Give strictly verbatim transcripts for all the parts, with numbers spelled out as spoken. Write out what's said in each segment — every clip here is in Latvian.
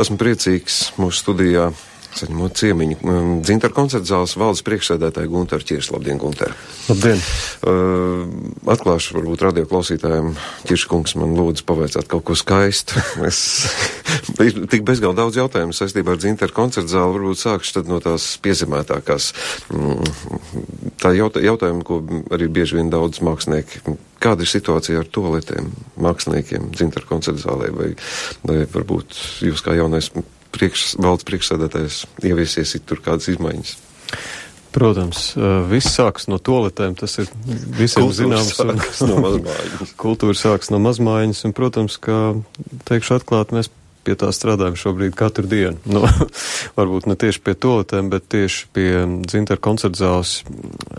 Esmu priecīgs mūsu studijā saņemot ciemiņu Dzintaru koncerta zāles valdes priekšsēdētāju Gunteru Ķiršu. Labdien, Gunter! Labdien! Uh, atklāšu varbūt radio klausītājiem. Ķirškungs man lūdzu pavaicāt kaut ko skaistu. Es ir tik bezgal daudz jautājumu saistībā ar Dzintaru koncerta zāli. Varbūt sākšu tad no tās piezemētākās. Tā jautā, jautājuma, ko arī bieži vien daudz mākslinieki. Kāda ir situācija ar toaletēm māksliniekiem Dzintaru koncerta zālē? Vai, vai varbūt jūs kā jaunais priekš, valdes priekšsēdētājs ieviesiet tur kādas izmaiņas? Protams, viss sāks no toaletēm, tas ir visiem zināms. Kultūra sāks no mazmājiņas. Kultūra sāks no mazmājiņas, un, protams, ka, teikšu atklāt, mēs pie tā strādājam šobrīd katru dienu. No, varbūt ne tieši pie toaletēm, bet tieši pie Dzintaru koncerta zāles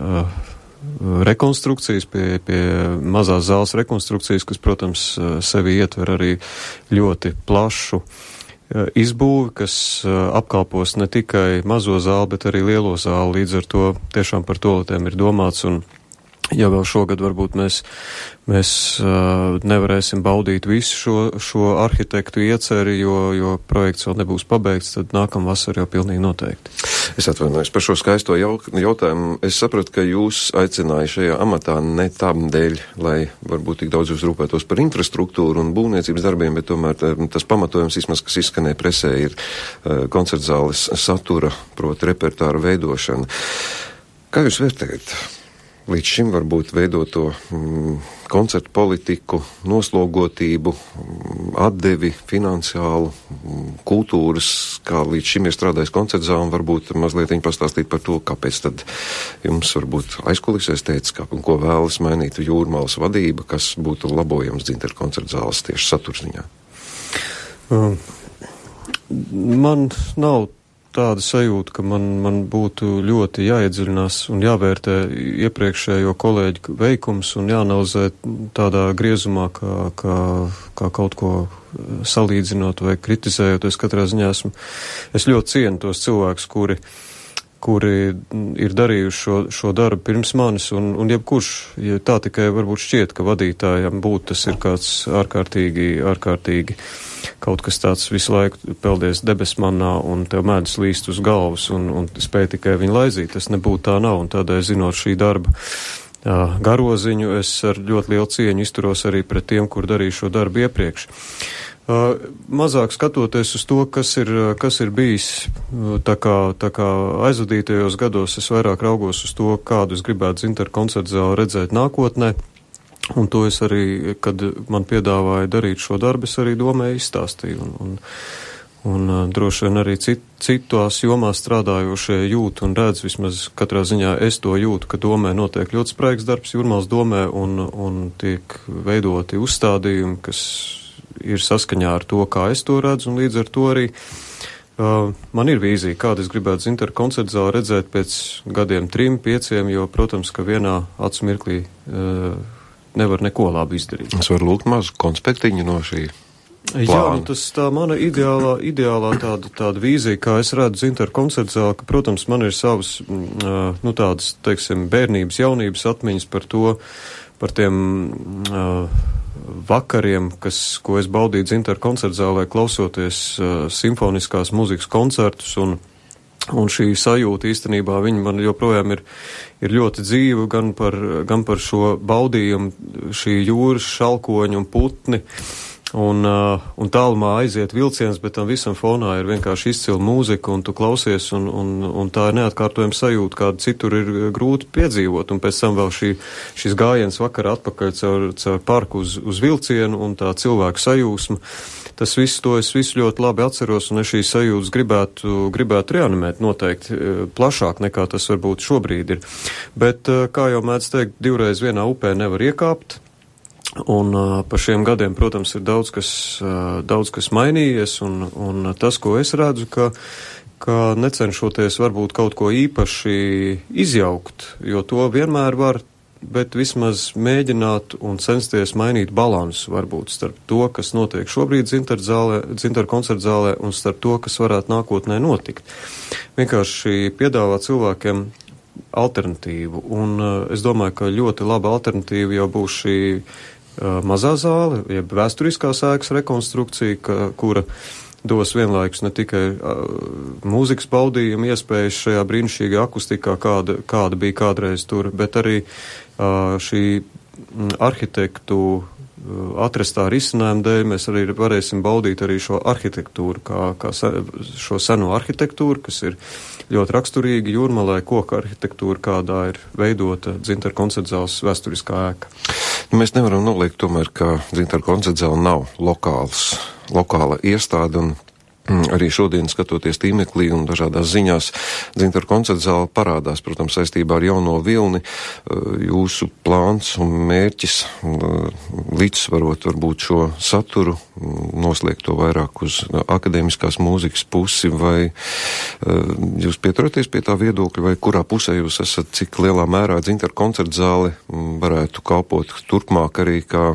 uh, rekonstrukcijas, pie, pie mazās zāles rekonstrukcijas, kas, protams, sevi ietver arī ļoti plašu izbūvi, kas apkalpos ne tikai mazo zāli, bet arī lielo zāli. Līdz ar to tiešām par toaletēm ir domāts, un ja vēl šogad varbūt mēs, mēs uh, nevarēsim baudīt visu šo, šo arhitektu ieceri, jo, jo projekts vēl nebūs pabeigts, tad nākamā vasara jau pilnīgi noteikti. Es atvainojos par šo skaisto jautājumu. Es sapratu, ka jūs aicināja šajā amatā ne tam dēļ, lai varbūt tik daudz jūs rūpētos par infrastruktūru un būvniecības darbiem, bet tomēr tas pamatojums, vismaz, kas izskanēja presē, ir uh, koncertzāles satura, proti repertāra veidošana. Kā jūs vērtējat līdz šim varbūt veidoto mm, koncertu politiku, noslogotību, mm, atdevi finansiālu, mm, kultūras, kā līdz šim ir strādājis koncertzāle, un varbūt mazliet viņi pastāstīt par to, kāpēc tad jums varbūt aizkulisēs teica, kā, ko vēlas mainīt Jūrmalas vadība, kas būtu labojams Dzintaru koncertzāles tieši saturziņā. Um, man nav tāda sajūta, ka man, man būtu ļoti jāiedziļinās un jāvērtē iepriekšējo kolēģu veikums un jāanalizē tādā griezumā, kā, kā, kā kaut ko salīdzinot vai kritizējot. Es katrā ziņā esmu, es ļoti cienu tos cilvēkus, kuri, kuri ir darījuši šo, šo darbu pirms manis, un, un jebkurš, ja tā tikai varbūt šķiet, ka vadītājam būtu tas ir kāds ārkārtīgi, ārkārtīgi kaut kas tāds visu laiku peldies debesmannā un tev mēdz līst uz galvas un, un spēj tikai viņu laizīt. Tas nebūtu tā nav, un tādēļ zinot šī darba jā, garoziņu, es ar ļoti lielu cieņu izturos arī pret tiem, kur darīju šo darbu iepriekš. Uh, mazāk skatoties uz to, kas ir, kas ir bijis tā kā, tā kā aizvadītajos gados, es vairāk raugos uz to, kādu es gribētu Dzintaru koncerta zāli redzēt nākotnē. Un to es arī, kad man piedāvāja darīt šo darbu, es arī domēju izstāstīju. Un, un, un uh, droši vien arī cit, citās jomās strādājošie jūt un redz, vismaz katrā ziņā es to jūtu, ka domē notiek ļoti spraigs darbs Jūrmalas domē un, un tiek veidoti uzstādījumi, kas ir saskaņā ar to, kā es to redzu, un līdz ar to arī uh, man ir vīzija, kāda es gribētu Dzintaru koncerta zāli redzēt pēc gadiem trim, pieciem, jo, protams, ka vienā acu mirklī uh, nevar neko labi izdarīt. Es varu lūgt mazu konspektiņu no šī plāna. Jā, nu tas tā mana ideālā, ideālā tāda, tāda vīzija, kā es redzu Dzintaru koncerta zāli, ka, protams, man ir savas, uh, nu tādas, teiksim, bērnības, jaunības atmiņas par to, par tiem uh, vakariem, kas, ko es baudīju Dzintaru koncerta zālē, klausoties uh, simfoniskās mūzikas koncertus, un Un šī sajūta īstenībā viņa man joprojām ir, ir ļoti dzīva gan par, gan par šo baudījumu, šī jūras šalkoņu un putni, un, uh, un tālumā aiziet vilciens, bet tam visam fonā ir vienkārši izcila mūzika, un tu klausies, un, un, un tā ir neatkārtojama sajūta, kāda citur ir grūti piedzīvot, un pēc tam vēl šī, šis gājiens vakarā atpakaļ caur, caur parku uz, uz vilcienu, un tā cilvēku sajūsma. Tas viss, to es visu ļoti labi atceros, un es šīs sajūtas gribētu, gribētu reanimēt noteikti plašāk nekā tas varbūt šobrīd ir. Bet, kā jau mēdz teikt, divreiz vienā upē nevar iekāpt, un uh, pa šiem gadiem, protams, ir daudz kas, uh, daudz kas mainījies, un, un tas, ko es redzu, ka, ka necenšoties varbūt kaut ko īpaši izjaukt, jo to vienmēr var, bet vismaz mēģināt un censties mainīt balansu varbūt starp to, kas notiek šobrīd Dzintaru zālē, Dzintaru koncerta zālē, un starp to, kas varētu nākotnē notikt. Vienkārši piedāvāt cilvēkiem alternatīvu, un uh, es domāju, ka ļoti laba alternatīva jau būs šī uh, mazā zāle, jeb vēsturiskās ēkas rekonstrukcija, ka, kura dos vienlaikus ne tikai uh, mūzikas baudījumu iespējas šajā brīnišķīgā akustikā, kāda, kāda bija kādreiz tur, bet arī uh, šī arhitektu atrastā risinājuma dēļ mēs arī varēsim baudīt arī šo arhitektūru, kā, kā se, šo seno arhitektūru, kas ir ļoti raksturīga Jūrmalai, koka arhitektūra, kādā ir veidota Dzintara koncertzāles vēsturiskā ēka. Mēs nevaram noliegt tomēr, ka Dzintara koncertzāle nav lokāls, lokāla iestāde, un arī šodien, skatoties tīmeklī un dažādās ziņās, Dzintara koncertzāle parādās, protams, saistībā ar jauno vilni. Jūsu plāns un mērķis līdzsvarot varbūt šo saturu, noslēgt to vairāk uz akadēmiskās mūzikas pusi, vai jūs pieturaties pie tā viedokļa, vai kurā pusē jūs esat, cik lielā mērā Dzintara koncertzāle varētu kalpot turpmāk arī kā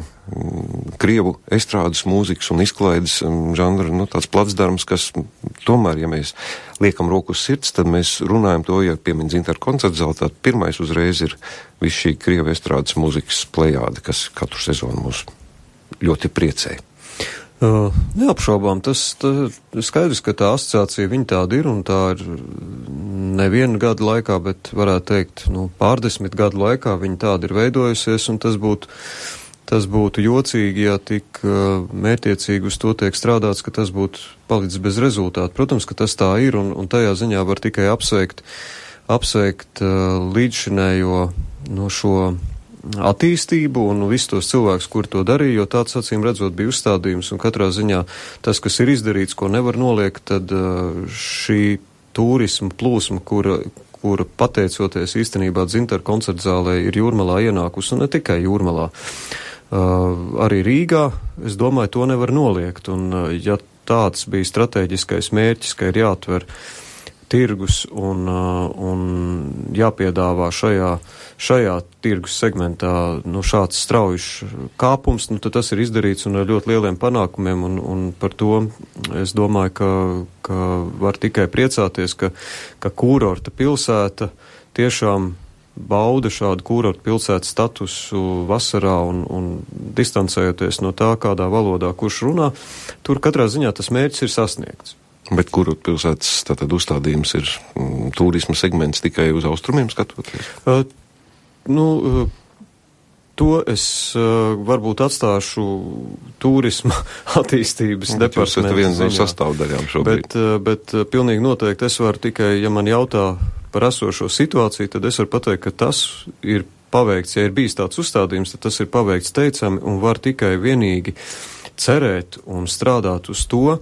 Krievu estrādes mūzikas un izklaides žanra, nu, tāds placdarms, kas tomēr, ja mēs liekam roku uz sirds, tad mēs runājam to, ja piemin Dzintara koncertzāle, tad pirmais uzreiz ir viss šī Krievu estrādes mūzikas plejāde, kas katru sezonu mūs ļoti priecē. Uh, neapšaubām, tas tā, skaidrs, ka tā asociācija viņa tāda ir, un tā ir nevienu gadu laikā, bet varētu teikt, nu, pārdesmit gadu laikā viņa tāda ir veidojusies, un tas būtu Tas būtu jocīgi, ja tik uh, mērķiecīgi uz to tiek strādāts, ka tas būtu palicis bez rezultātu. Protams, ka tas tā ir, un, un tajā ziņā var tikai apsveikt, apsveikt uh, līdzšinējo no šo attīstību un visus tos cilvēkus, kur to darīja, jo tāds acīm redzot bija uzstādījums, un katrā ziņā tas, kas ir izdarīts, ko nevar noliegt, tad uh, šī turisma plūsma, kura, kura pateicoties īstenībā Dzintara koncertzālē ir Jūrmalā ienākusi, un ne tikai Jūrmalā. Uh, arī Rīgā, es domāju, to nevar noliegt, un uh, ja tāds bija strateģiskais mērķis, ka ir jāatver tirgus un, uh, un jāpiedāvā šajā, šajā tirgus segmentā nu, šāds straujišs kāpums, nu, tad tas ir izdarīts un ar ļoti lieliem panākumiem, un, un par to es domāju, ka, ka var tikai priecāties, ka, ka kūrorta pilsēta tiešām bauda šādu kūrortu pilsētas statusu vasarā un, un distancējoties no tā, kādā valodā kurš runā, tur katrā ziņā tas mērķis ir sasniegts. Bet kūrortu pilsētas tātad uzstādījums ir mm, turisma segments tikai uz austrumiem skatoties? Uh, nu, uh, to es uh, varbūt atstāšu turisma attīstības departamentu. Jūs esat viens no sastāvdaļām šobrīd. Bet, uh, bet uh, pilnīgi noteikti es varu tikai, ja man jautā par esošo situāciju, tad es varu pateikt, ka tas ir paveikts, ja ir bijis tāds uzstādījums, tad tas ir paveikts teicami un var tikai vienīgi cerēt un strādāt uz to,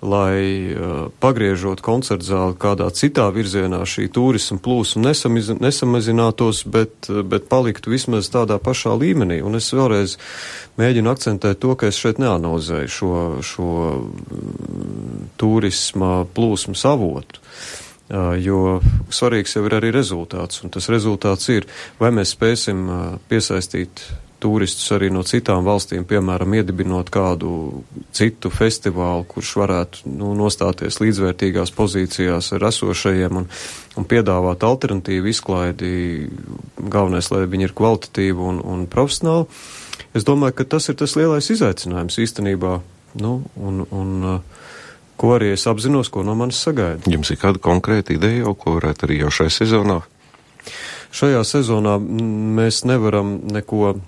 lai uh, pagriežot koncertzāli kādā citā virzienā šī turisma plūsma nesamiz, nesamazinātos, bet, bet paliktu vismaz tādā pašā līmenī. Un es vēlreiz mēģinu akcentēt to, ka es šeit neanalizēju šo, šo mm, turisma plūsmas avotu. Uh, jo svarīgs jau ir arī rezultāts, un tas rezultāts ir, vai mēs spēsim uh, piesaistīt turistus arī no citām valstīm, piemēram, iedibinot kādu citu festivālu, kurš varētu nu, nostāties līdzvērtīgās pozīcijās ar esošajiem un, un piedāvāt alternatīvu izklaidi, galvenais, lai viņi ir kvalitatīvi un, un profesionāli. Es domāju, ka tas ir tas lielais izaicinājums īstenībā, nu, un, un uh, ko arī es apzinos, ko no manis sagaida. Jums ir kāda konkrēta ideja jau, ko varētu arī jau šajā sezonā? Šajā sezonā mēs nevaram neko uh,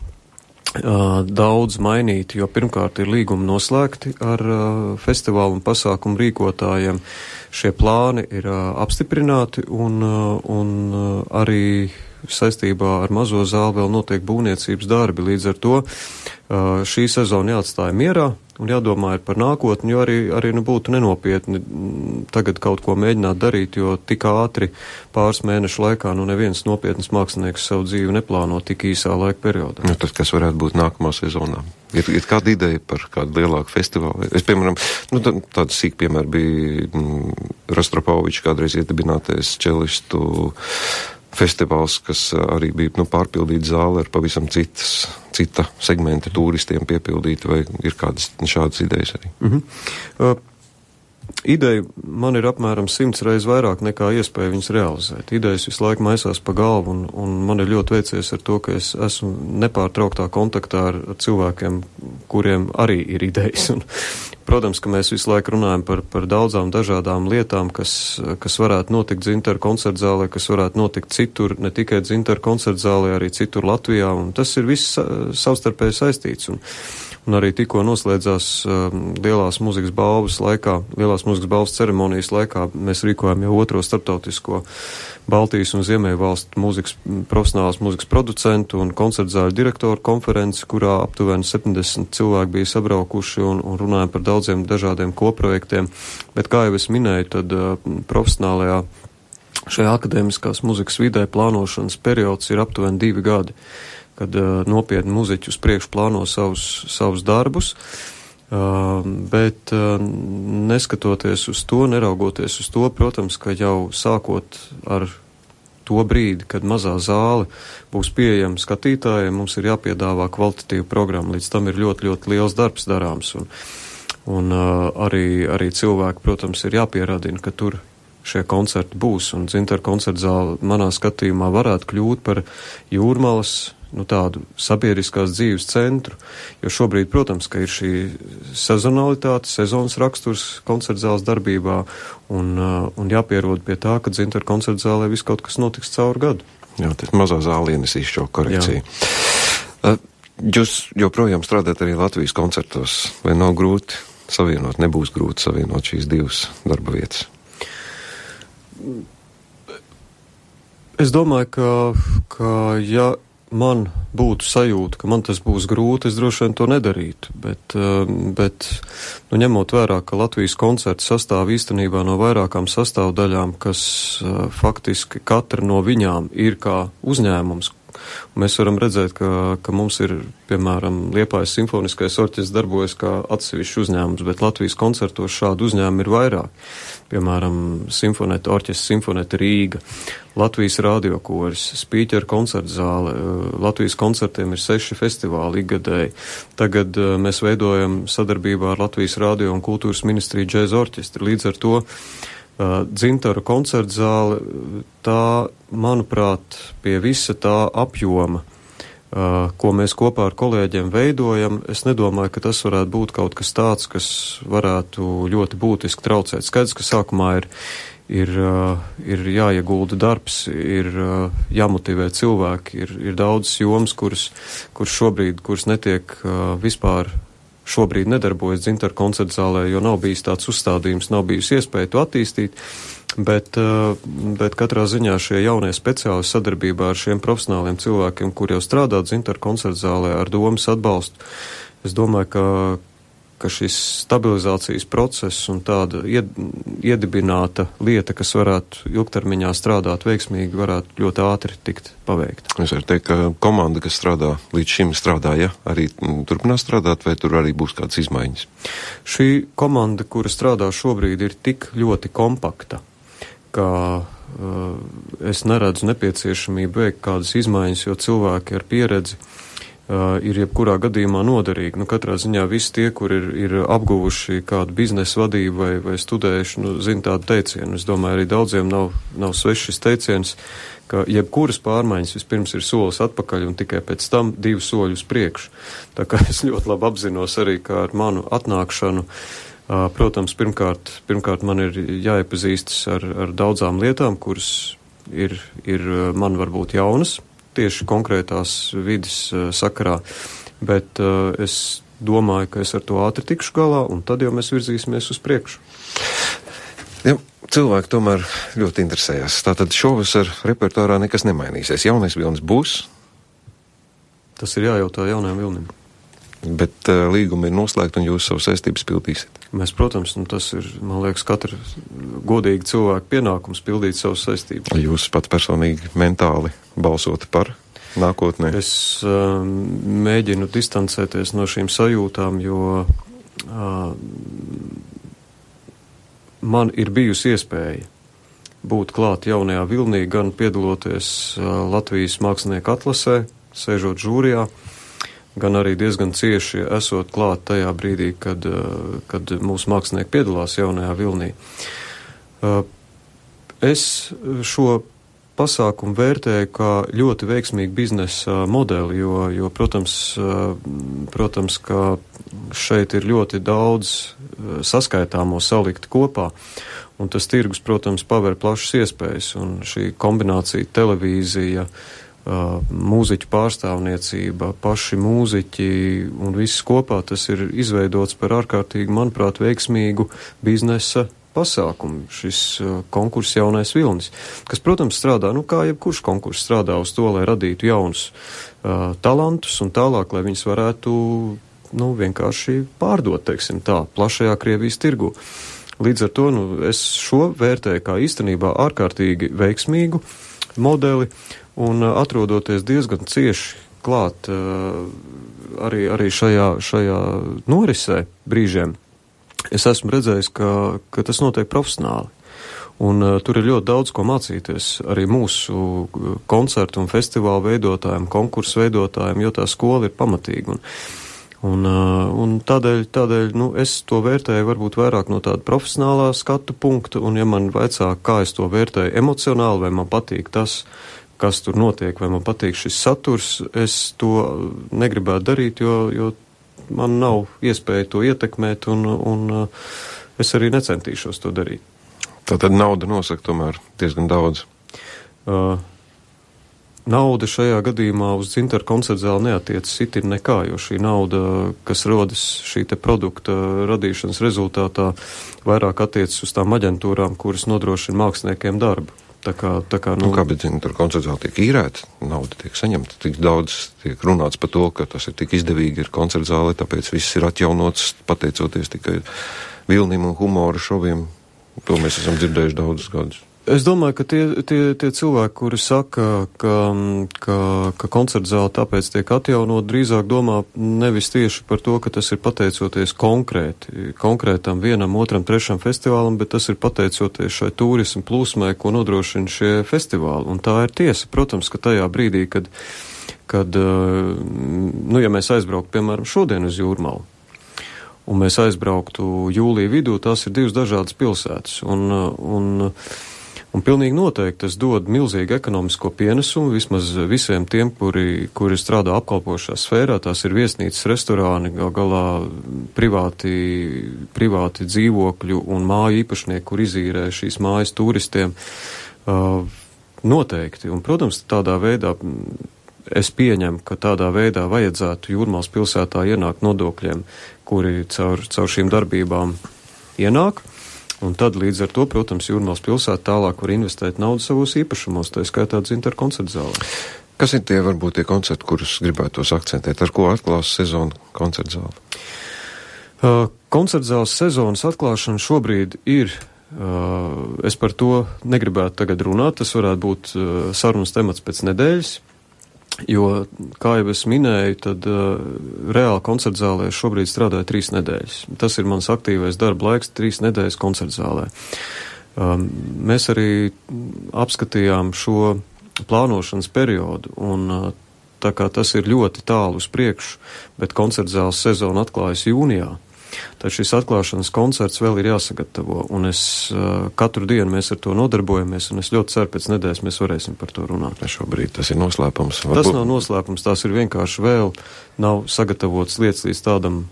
daudz mainīt, jo pirmkārt ir līgumi noslēgti ar uh, festivālu un pasākumu rīkotājiem. Šie plāni ir uh, apstiprināti un, uh, un uh, arī saistībā ar mazo zāli vēl notiek būvniecības darbi. Līdz ar to uh, šī sezona jāatstāja mierā un jādomā ir par nākotni, jo arī, arī nu, būtu nenopietni tagad kaut ko mēģināt darīt, jo tik ātri pāris mēnešu laikā nu neviens nopietnas mākslinieks savu dzīvi neplāno tik īsā laika periodā. Nu, tad kas varētu būt nākamā sezonā? Ir, ir kāda ideja par kādu lielāku festivālu? Es, piemēram, nu, tā, tāds sīk piemēr bija mm, Rostropovičs kādreiz iedibinātais čelistu festivāls, kas arī bija nu, pārpildīta zāle ar pavisam citas, cita segmenta turistiem piepildīta, vai ir kādas šādas idejas arī? Mm-hmm. Uh, ideja man ir apmēram simts reizes vairāk nekā iespēja viņas realizēt. Idejas visu laiku maisās pa galvu, un, un man ir ļoti veicies ar to, ka es esmu nepārtrauktā kontaktā ar cilvēkiem, kuriem arī ir idejas. Un, protams, ka mēs visu laiku runājam par, par daudzām dažādām lietām, kas, kas varētu notikt Dzintaru koncertzālē, kas varētu notikt citur, ne tikai Dzintaru koncertzālē, arī citur Latvijā, un tas ir viss savstarpēji saistīts. Un, Un arī tikko noslēdzās um, lielās mūzikas balvas laikā, lielās mūzikas balvas ceremonijas laikā, mēs rīkojam jau otro starptautisko Baltijas un Ziemeļvalstu mūzikas, profesionālās mūzikas producentu un koncertzāļu direktoru konferenci, kurā aptuveni septiņdesmit cilvēki bija sabraukuši un, un runājam par daudziem dažādiem koprojektiem. Bet, kā jau es minēju, tad uh, profesionālajā šajā akadēmiskās mūzikas vidē plānošanas periods ir aptuveni divi gadi, kad uh, nopietni muziķi uz priekšu plāno savus, savus darbus, uh, bet uh, neskatoties uz to, neraugoties uz to, protams, ka jau sākot ar to brīdi, kad mazā zāle būs pieejama skatītājiem, mums ir jāpiedāvā kvalitatīva programma, līdz tam ir ļoti, ļoti liels darbs darāms, un, un uh, arī, arī cilvēki, protams, ir jāpieradina, ka tur šie koncerti būs, un Dzintaru koncertzāle manā skatījumā varētu kļūt par Jūrmalas, nu, tādu sabiedriskās dzīves centru, jo šobrīd, protams, ka ir šī sezonalitāte, sezonas raksturs koncertzāles darbībā, un, uh, un jāpierod pie tā, ka Dzintaru koncertzālē viss kaut kas notiks caur gadu. Jā, tas mazā zāle ienesīs šo korekciju. Uh, jūs joprojām strādājat arī Latvijas koncertos, vai nav grūti savienot, nebūs grūti savienot šīs divas darba vietas? Es domāju, ka, ka ja man būtu sajūta, ka man tas būs grūti, es droši vien to nedarītu, bet, bet nu, ņemot vērā, ka Latvijas koncerts sastāv īstenībā no vairākām sastāvdaļām, kas faktiski katra no viņām ir kā uzņēmums. Mēs varam redzēt, ka, ka mums ir, piemēram, Liepājas simfoniskais orķestris darbojas kā atsevišķs uzņēmums, bet Latvijas koncertos šādu uzņēmumu ir vairāk. Piemēram, simfoneta orķestris Simfoneta Rīga, Latvijas radiokoris, Spīķera koncertzāle, Latvijas koncertiem ir seši festivāli ikgadēji. Tagad uh, mēs veidojam sadarbībā ar Latvijas radio un kultūras ministriju džēza orķestri. Līdz ar to Uh, Dzintaru koncertzāle, tā, manuprāt, pie visa tā apjoma, uh, ko mēs kopā ar kolēģiem veidojam, es nedomāju, ka tas varētu būt kaut kas tāds, kas varētu ļoti būtiski traucēt. Skaidrs, ka sākumā ir, ir, uh, ir jāiegulda darbs, ir uh, jāmotivē cilvēki, ir, ir daudzas jomas, kuras, kuras šobrīd, kuras netiek uh, vispār šobrīd nedarbojas Dzintaru koncertzālē, jo nav bijis tāds uzstādījums, nav bijusi iespēja to attīstīt, bet, bet katrā ziņā šie jaunie speciālisti sadarbībā ar šiem profesionāliem cilvēkiem, kur jau strādā Dzintaru koncertzālē ar domas atbalstu, es domāju, ka, ka šis stabilizācijas process un tāda ied, iedibināta lieta, kas varētu ilgtermiņā strādāt veiksmīgi, varētu ļoti ātri tikt paveikta. Es varu teikt, ka komanda, kas strādā līdz šim strādāja, arī turpinās strādāt, vai tur arī būs kādas izmaiņas? Šī komanda, kura strādā šobrīd, ir tik ļoti kompakta, ka uh, es neredzu nepieciešamību veikt kādas izmaiņas, jo cilvēki ar pieredzi Uh, ir jebkurā gadījumā noderīgi. Nu, katrā ziņā visi tie, kur ir, ir apguvuši kādu biznesa vadību vai, vai studējuši, nu, zina tādu teicienu. Es domāju, arī daudziem nav, nav svešs šis teiciens, ka jebkuras pārmaiņas vispirms ir solis atpakaļ un tikai pēc tam divi soļi uz priekšu. Tā kā es ļoti labi apzinos arī, ka ar manu atnākšanu, uh, protams, pirmkārt, pirmkārt man ir jāiepazīstas ar, ar daudzām lietām, kuras ir, ir man varbūt jaunas, tieši konkrētās vidas uh, sakarā, bet uh, es domāju, ka es ar to ātri tikšu galā, un tad jau mēs virzīsimies uz priekšu. Ja, cilvēki tomēr ļoti interesējas. Tātad šovasar repertuārā nekas nemainīsies. Jaunais vilnis būs? Tas ir jājautā jaunajam vilnim. Bet uh, līgumi ir noslēgti un jūs savu saistības pildīsiet? Mēs, protams, nu tas ir, man liekas, katra godīga cilvēka pienākums pildīt savus saistības. Jūs pat personīgi mentāli balsot par nākotnē? Es uh, mēģinu distancēties no šīm sajūtām, jo uh, man ir bijusi iespēja būt klāt jaunajā vilnī, gan piedaloties uh, Latvijas mākslinieku atlasē, sēžot žūrijā, gan arī diezgan cieši esot klāt tajā brīdī, kad, kad mūsu mākslinieki piedalās jaunajā vilnī. Es šo pasākumu vērtēju kā ļoti veiksmīgu biznesa modeli, jo, jo protams, protams, ka šeit ir ļoti daudz saskaitāmo salikt kopā, un tas tirgus, protams, paver plašas iespējas, un šī kombinācija televīzija, mūziķu pārstāvniecība, paši mūziķi un viss kopā, tas ir izveidots par ārkārtīgi, manuprāt, veiksmīgu biznesa pasākumu, šis uh, konkurss Jaunais vilnis, kas, protams, strādā, nu kā jebkurš konkurss strādā uz to, lai radītu jaunus uh, talantus un tālāk, lai viņus varētu, nu, vienkārši pārdot, teiksim tā, plašajā Krievijas tirgu. Līdz ar to, nu, es šo vērtēju kā īstenībā ārkārtīgi veiksmīgu modeli un uh, atrodoties diezgan cieši klāt uh, arī, arī šajā, šajā norisē brīžiem. Es esmu redzējis, ka, ka tas notiek profesionāli, un uh, tur ir ļoti daudz ko mācīties arī mūsu koncertu un festivālu veidotājiem, konkursu veidotājiem, jo tā skola ir pamatīga. Un, un, uh, un tādēļ, tādēļ nu, es to vērtēju varbūt vairāk no tāda profesionālā skatu punkta, un ja man vaicā, kā es to vērtēju emocionāli, vai man patīk tas, kas tur notiek, vai man patīk šis saturs, es to negribētu darīt, jo, jo man nav iespēja to ietekmēt, un, un es arī necentīšos to darīt. Tātad nauda nosaka tomēr diezgan daudz. Uh, nauda šajā gadījumā uz Dzintaru koncertzāli neatiecas itin nekā, jo šī nauda, kas rodas šī te produkta radīšanas rezultātā, vairāk attiecas uz tām aģentūrām, kuras nodrošina māksliniekiem darbu. Tā kā, tā kā, nu, nu, kā, bet tur koncertzāli tiek īrēta, nauda tiek saņemta, tik daudz tiek runāts par to, ka tas ir tik izdevīgi ir koncertzāli, tāpēc viss ir atjaunots, pateicoties tikai vilnim un humora šoviem. To mēs esam dzirdējuši daudzus gadus. Es domāju, ka tie, tie, tie cilvēki, kuri saka, ka, ka, ka koncertzāle tāpēc tiek atjaunot, drīzāk domā nevis tieši par to, ka tas ir pateicoties konkrēti, konkrētam vienam, otram, trešam festivālam, bet tas ir pateicoties šai turismu plūsmai, ko nodrošina šie festivāli. Un tā ir tiesa, protams, ka tajā brīdī, kad, kad nu, ja mēs aizbrauktu, piemēram, šodien uz Jūrmalu, un mēs aizbrauktu jūlija vidū, tās ir divas dažādas pilsētas, un, un Un pilnīgi noteikti tas dod milzīgu ekonomisko pienesumu vismaz visiem tiem, kuri, kuri strādā apkalpošā sfērā. Tās ir viesnīcas, restorāni, gal galā privāti, privāti dzīvokļu un māju īpašnieki, kur izīrē šīs mājas turistiem. Uh, noteikti. Un, protams, tādā veidā es pieņemu, ka tādā veidā vajadzētu Jūrmālas pilsētā ienākt nodokļiem, kuri caur, caur šīm darbībām ienāk. Un tad līdz ar to, protams, Jūrmālas pilsēta tālāk var investēt naudu savos īpašumos, tā skaitā Dzintaru koncertzālē. Kas ir tie varbūt tie koncerti, kurus gribētos akcentēt? Ar ko atklās sezonu koncertzāle? Uh, koncertzāles sezonas atklāšana šobrīd ir, uh, es par to negribētu tagad runāt, tas varētu būt uh, sarunas temats pēc nedēļas. Jo, kā jau es minēju, tad uh, reāli koncertzālē šobrīd strādāju trīs nedēļas. Tas ir mans aktīvais darba laiks, trīs nedēļas koncertzālē. Um, mēs arī apskatījām šo plānošanas periodu, un uh, tā kā tas ir ļoti tālu uz priekšu, bet koncertzāles sezona atklājas jūnijā. Tad šis atklāšanas koncerts vēl ir jāsagatavo, un es uh, katru dienu mēs ar to nodarbojamies, un es ļoti ceru, pēc nedēļas mēs varēsim par to runāt. Šobrīd tas ir noslēpums. Varbūt... Tas nav noslēpums, tās ir vienkārši vēl nav sagatavotas lietas līdz tādam,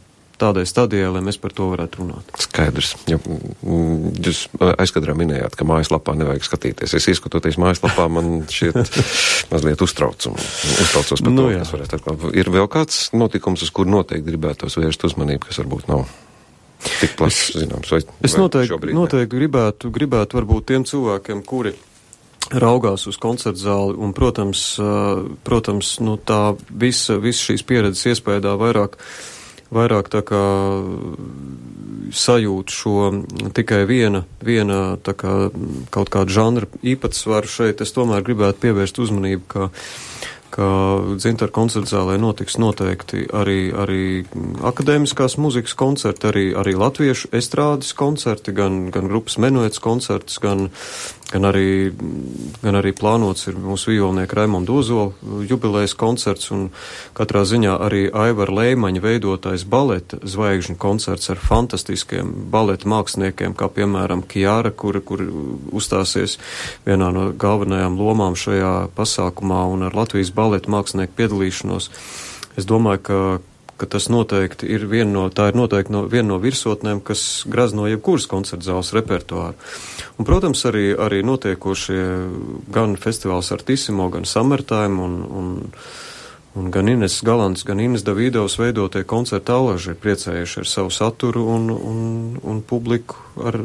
tādai stadijai, lai mēs par to varētu runāt. Skaidrs. Ja, jūs aizkadrā minējāt, ka mājaslapā nevajag skatīties. Es ieskatoties mājaslapā, man šķiet mazliet uztrauc un uztraucos par nu, to, kas varētu atklāt. Ir vēl kāds notikums, uz kur noteikti gribētos vērst uzmanību, kas varbūt nav tik plašs, zināms, vai, es vai noteikti, šobrīd? Noteikti gribētu, gribētu varbūt tiem cilvēkiem, kuri raugās uz koncertzāli, un, protams, protams, nu, tā visa, visa šīs pieredzes iespējā vairāk vairāk tā kā sajūt šo tikai viena, viena tā kā kaut kādu žanra īpatsvaru šeit, es tomēr gribētu pievērst uzmanību, ka ka Dzintara koncertzālē notiks noteikti arī, arī akadēmiskās muzikas koncerti, arī, arī latviešu estrādes koncerti, gan, gan grupas Menuets koncerts, gan, gan, arī, gan arī plānots ir mūsu vijolnieka Raimonda Ozola jubilejas koncerts, un katrā ziņā arī Aivara Leimaņa veidotais baleta zvaigžņu koncerts ar fantastiskiem baleta māksliniekiem, kā piemēram Kiara, kur, kur uzstāsies vienā no galvenajām lomām šajā pasākumā, un ar Latvijas baleta mākslinieku piedalīšanos. Es domāju, ka, ka tas noteikti ir viena no, tā ir noteikti no, viena no virsotnēm, kas grazno jebkuras koncertzāles repertuāru. Un, protams, arī, arī notiekošie gan festivāls Artissimo, gan Summertime un, un, un gan Ines Galants, gan Ines Davidovs veidotie koncerta allaži ir priecējuši ar savu saturu un, un, un publiku ar,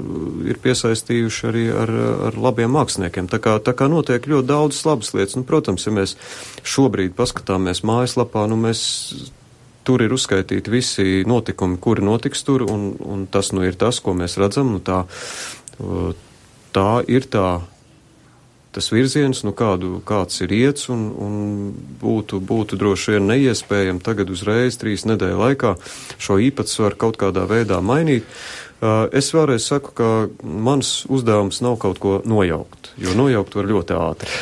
ir piesaistījuši arī ar, ar labiem māksliniekiem. Tā kā, tā kā notiek ļoti daudz labas lietas. Nu, protams, ja mēs šobrīd paskatāmies mājaslapā, nu mēs tur ir uzskaitīti visi notikumi, kuri notiks tur, un, un tas nu ir tas, ko mēs redzam. Nu, tā, tā ir tā. Tas virziens, nu kādu, kāds ir iets, un, un būtu, būtu droši vien neiespējami tagad uzreiz trīs nedēļu laikā šo īpatsvaru kaut kādā veidā mainīt. Es vēlreiz saku, ka mans uzdevums nav kaut ko nojaukt, jo nojaukt var ļoti ātri.